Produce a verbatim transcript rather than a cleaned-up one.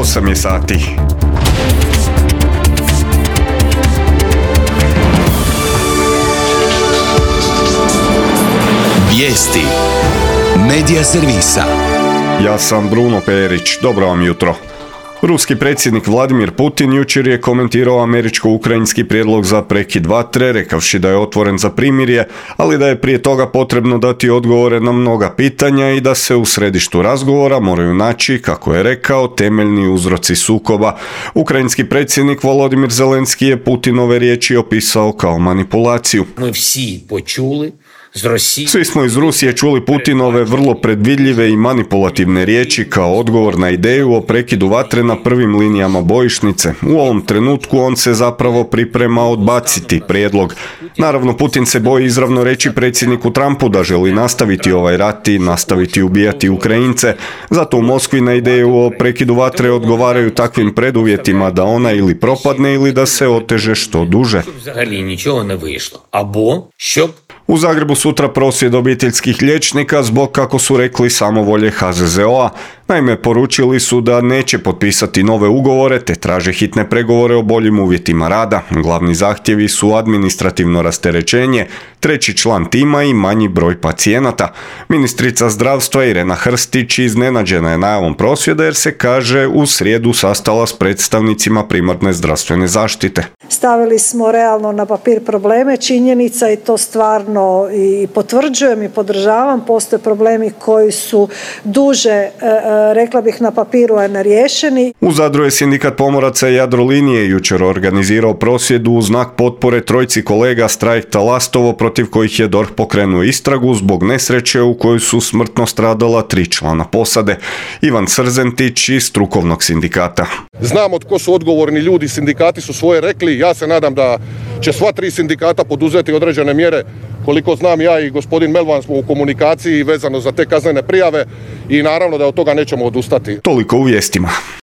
osam je sati. Vijesti Medija servisa. Ja sam Bruno Perić, dobro vam jutro. Ruski predsjednik Vladimir Putin jučer je komentirao američko-ukrajinski prijedlog za prekid vatre, rekavši da je otvoren za primirje, ali da je prije toga potrebno dati odgovore na mnoga pitanja i da se u središtu razgovora moraju naći, kako je rekao, temeljni uzroci sukoba. Ukrajinski predsjednik Volodimir Zelenski je Putinove riječi opisao kao manipulaciju. Mi vsi počuli. Svi smo iz Rusije čuli Putinove vrlo predvidljive i manipulativne riječi kao odgovor na ideju o prekidu vatre na prvim linijama bojišnice. U ovom trenutku on se zapravo priprema odbaciti prijedlog. Naravno, Putin se boji izravno reći predsjedniku Trumpu da želi nastaviti ovaj rat i nastaviti ubijati Ukrajince. Zato u Moskvi na ideju o prekidu vatre odgovaraju takvim preduvjetima da ona ili propadne ili da se oteže što duže. U Zagrebu sutra prosvjed obiteljskih liječnika zbog, kako su rekli, samovolje ha ze ze o a. Naime, poručili su da neće potpisati nove ugovore te traže hitne pregovore o boljim uvjetima rada. Glavni zahtjevi su administrativno rasterećenje, treći član tima i manji broj pacijenata. Ministrica zdravstva Irena Hrstić iznenađena je najavom prosvjeda jer se, kaže, u srijedu sastala s predstavnicima primarne zdravstvene zaštite. Stavili smo realno na papir probleme, činjenica i to stvarno i potvrđujem i podržavam. Postoje problemi koji su duže, rekla bih, na papiru, a ne riješeni. U Zadru je sindikat pomoraca Jadrolinije jučer organizirao prosvjed u znak potpore trojci kolega s trajekta Lastovo protiv kojih je D O R H pokrenuo istragu zbog nesreće u kojoj su smrtno stradala tri člana posade. Ivan Srzentić iz strukovnog sindikata. Znamo tko su odgovorni ljudi, sindikati su svoje rekli, ja se nadam da će sva tri sindikata poduzeti određene mjere. Koliko znam, ja i gospodin Melvan smo u komunikaciji vezano za te kaznene prijave i naravno da od toga nećemo odustati. Toliko u vijestima.